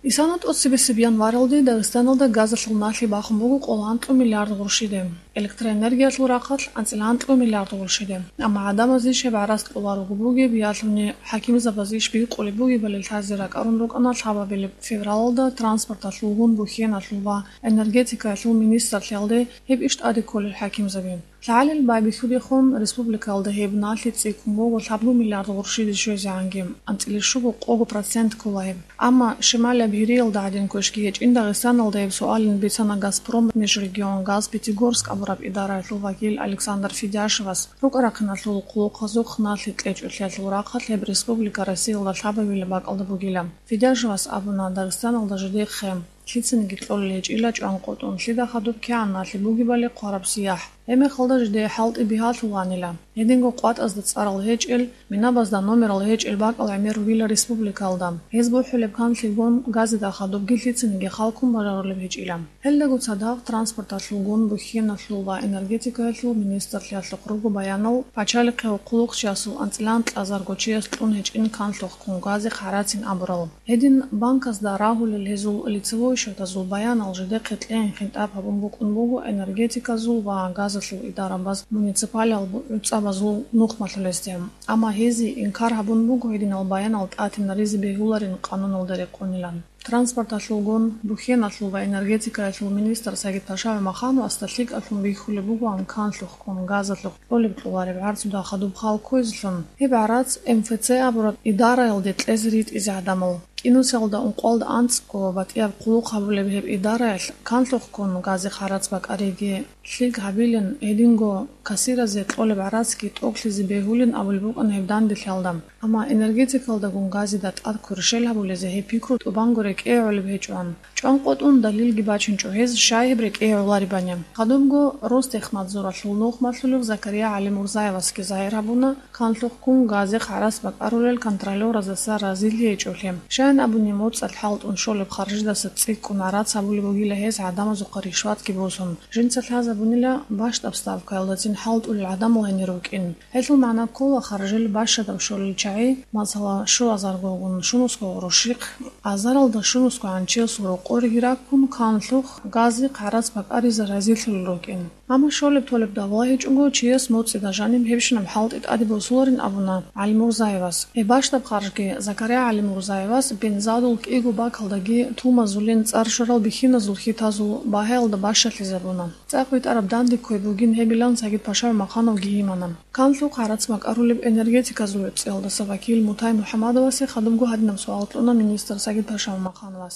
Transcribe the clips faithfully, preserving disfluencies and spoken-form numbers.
Исана тӀоцебесеб январалде Дагъистаналда газалъул налъи бахун буго къоло анкьа миллиард гъурщиде, электроэнергиялъул рахъалъ анцӀила анкьа миллиард гъурщиде. Амма гӀадамазе щиб гӀарац кьола руго бугеб, ялъуни хӀакимзабаз иш бихъулеб бугебали лъазе ракӀарун рукӀана лъабабилеб февралалда транспорталъулгун, бухьеналъул ва энергетикаялъул министрлъиялде гьеб иш тӀаде кколел хӀакимзаби. ЛъагӀалил байбихьудехун, республикаялда гьеб налъи цӀикӀкӀун буго лъабго миллиард гъурщиде щвезегӀанги, анцӀила щуго-къого процент ккола гьеб. Амма шималияб Гьириялда гӀадин квешги гьечӀин Дагъистаналда гьеб суалин бицана «Газпром межрегионгаз Пятигорск» абураб идараялъул вакил Александр Федяшевас. РукӀа-рахъиналъул хъулухъазухъ налъи кьечӀолъиялъул рахъалъ гьеб республика Россиялда лъабабилеб бакӀалда бугила. Федяшевас абуна, Дагъистаналда жидехъе лъицаниги кьолел гьечӀила чӀван къотӀун, лъида хадуб кигӀан налъи бугебали хъвараб сияхӀ. Гьебмехалда жидее хӀалтӀи бигьалъуланила. Гьединго къватӀазда цӀарал гьечӀел, минабазда номерал гьечӀел бакӀал гӀемер ругила республикаялда. Гьез бухӀулеб канлъигун газида хадубги лъицаниги халкун бажарулеб гьечӀила. Гьелдаго цадахъ транспорталъулгун, бухьеналъул ва энергетикаялъул министрлъиялъухъ руго баянал пачалихъе хъулухъчиясул анцӀила анкьазарго чияс кьун гьечӀин канлъухъ ккун газихъ гӀарацин абурал. Гьедин банказда рагьулел гьезул лицевой счетазул баянал жидехъе кьегӀин хинтӀаб гьабун букӀун буго энергетиказул ва газалъул идарабаз муниципалияб гӀуцӀабазул нухмалъулесде. Амма гьезие инкар гьабун буго гьединал баянал тӀатинаризе бегьуларин къануналда рекъонилан. Транспорталъулгун, бухьеналъул ва энергетикаялъул министр Сагид-паша ГӀумахановасда лъикӀалъун бихьулеб бугоан канлъухъ ккун газалъухъ кьолеб-кьолареб гӀарцуда хадуб хал кквезелъун, гьеб гӀарац МФЦ абураб идараялде кьезе ритӀизе гӀадамал. КӀинусиялда ункъоялда анцӀго батӀияб хъулухъ гьабулеб гьеб идараялъ канлъухъ ккун газихъ гӀарац бакӀариги лъикӀ гьабилин, гьединго кассиразе кьолеб гӀарацги тӀокӀлъизе бегьулин абулеб букӀана гьеб данделъиялда. Амма энергетикалдагун газида тӀад кверщел гьабулезе гьеб пикру тӀубанго рекӀее гӀолеб гьечӀоан. ЧӀван къотӀун далилги бачинчӀо гьез, щай гьеб рекӀее гӀоларебани. Хадубго Ростехнадзоралъул нухмалъулев Закария ГӀалимурзаевасги загьир гьабуна, канлъухъ ккун газихъ гӀарац бакӀарулел контролёразаса разилъи гьечӀолъи. Щайин абуни, моцӀалъ хӀалтӀун щолеб харжидаса цӀикӀкӀун гӀарац гьабулеб бугила гьез гӀадамазухъа ришватги босун. Жинца лъазабунила бащдаб ставкаялдацин хӀалтӀулел гӀадамал гьенир рукӀин. Гьелъул магӀна ккола харжил бащадаб щолел чагӀи, масала, щуазаргогун щунусго гъурущихъ, азаралда щунусго гӀанчиясул рокъориги раккун, канлъухъ газихъ гӀарац бакӀаризе разилъулел рукӀин. Амма щолеб-толеб давла гьечӀого, чияс моцӀида жаниб гьебщинаб хӀалтӀи тӀаде босуларин абуна ГӀалимурзаевас. Гьеб бащдаб харжги Закария ГӀалимурзаевас бензадул кӀиго бакалдаги тумазулин цӀар щварал бихьиназул хьитазул багьаялда бащалъизабуна. ЦӀакъ витӀараб данде кквей бугин гьебилан Сагид-паша ГӀумахановги гьимана. Канлъухъ гӀарац бакӀарулеб энергетиказул гӀуцӀиялдаса вакил Мутай МухӀамадовасе хадубго гьадинаб суал кьуна министр Сагид-паша ГӀумахановас.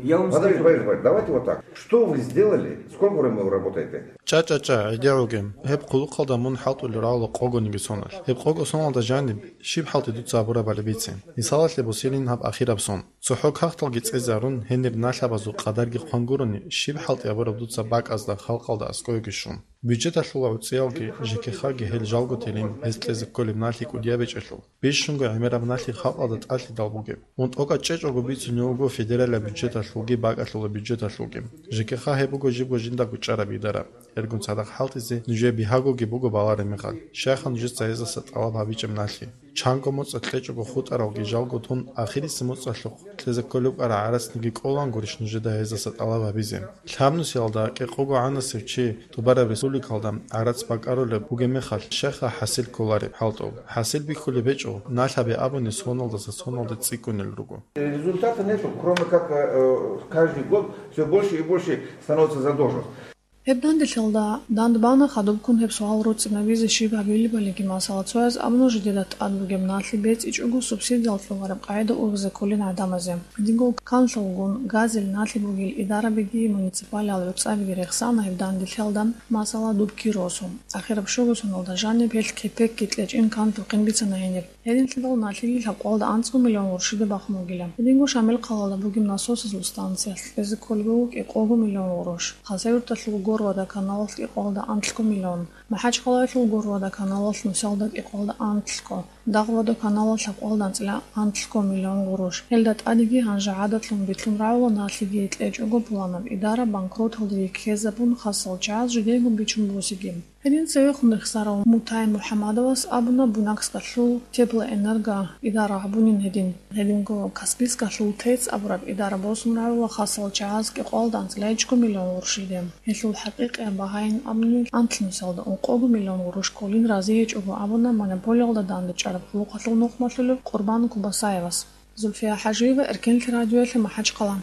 Я вам Владимир скажу. Борисович, давайте вот так. Что вы сделали? Сколько времени вы работаете? ЧӀа-чӀа-чӀа, гӀедегӀуге. Гьеб хъулухъалда мун хӀалтӀулел рагӀула къогониги соналъ. Гьеб къого соналда жаниб, щиб хӀалтӀи дуца гьабурабали бице. Мисалалъе босилин гьаб ахираб сон. ЦохӀо кагъталги цӀезарун, гьенир налъабазул къадарги хъван гурони, щиб хӀалтӀи гьабураб дуца бакӀазда, халкъалда аскӀовеги щун. Бюджеталъула гӀуцӀиялги, ЖКХ-ги гьел жалго телин, гьез кьезе кколеб налъи кӀудияб гьечӀелъул. Бищунго гӀемераб налъи халкъалда тӀалъидал бугеб. Мун тӀокӀаб чӀечӀого бицунев вуго федералияб бюджеталъулги бакӀалъула бюджеталъулги. ЖКХ гьеб буго жибго жиндаго чӀараб идара. Гьелгун цадахъ хӀалтӀизе нужее бигьагоги буго балареб мехалъ, щайха нужеца гьезаса тӀалаб гьабичӀеб налъи? Чанго моцӀалъ кьечӀого хутӀаралги жалго тун, ахирисеб моцӀалъухъ кьезе кколеб кӀара гӀарацниги кӀолангурищ нужеда гьезаса тӀалаб гьабизе? Лъабнусиялда кӀикъого гӀанасев чи тӀубараб республикалда гӀарац бакӀарулеб бугеб мехалъ, щайха хӀасил кколареб хӀалтӀул? ХӀасил бихьулеб гьечӀо, налъаби абуни соналдаса соналде цӀикӀкӀунел руго. Результата нету, кроме как, э, каждый год все больше и больше становится задолженность. Гьеб данделъалда дандбана хадубккун гьеб суал руцӀцӀинабизе щиб гьабилебалиги, масала, цояз абуна жидеда тӀад бугеб налъи бецӀичӀого субсидиял кьолареб къагӀида ургъизе кколин гӀадамазе. Динго канлъулгун газил налъи бугел идарабиги муниципалиал гӀуцӀабиги рехсана гьеб данделъалда, масала, дубки росу. Ахираб щуго соналда жаниб гьелъ кепекги кьечӀин канлъухъин бицана гьениб. Гьединлъидал налъиги лъабкъоялда анцӀго миллион гъурщида бахун бугила. Гьединго Шамил хъалалда бугеб насосазул станциялъ кьезе кколеб буго кӀикъого миллион гъурущ, Хасавюрталъул Горводоканалалъ кӀикъоялда анлъго миллион, МахӀачхъалаялъул Горводоканалалъ нусиялда кӀикъоялда анлъго, Дагъ-водоканалалъ лъабкъоялда анцӀила анлъго миллион гъурущ. Гьелда тӀадеги гьанже гӀадатлъун битлъун рагӀула налъиги кьечӀого пуланаб идара банкроталдеги ккезабун, хасал чагӀаз жидейго бичун босиги. Гьедин цевехун рехсарав Мутай МухӀамадовас абуна, Буйнакскалъул теплоэнерго идара гьабунин гьедин. Гьединго Каспийскалъул ТЭЦ абураб идара босун рагӀула хасал чагӀаз кӀикъоялда анцӀила гьечӀого миллион гъурущиде. Гьелъул хӀакъикъияб багьаин абуни, анлънусалда ункъого миллион гъурущ кколин разиячӀого абуна монополиялда дандечӀараб гӀолохъалъул нухмалъулев Къурбан Кубасаевас. Зульфия ХӀажиева, Эркенлъи радиоялъе МахӀачхъала.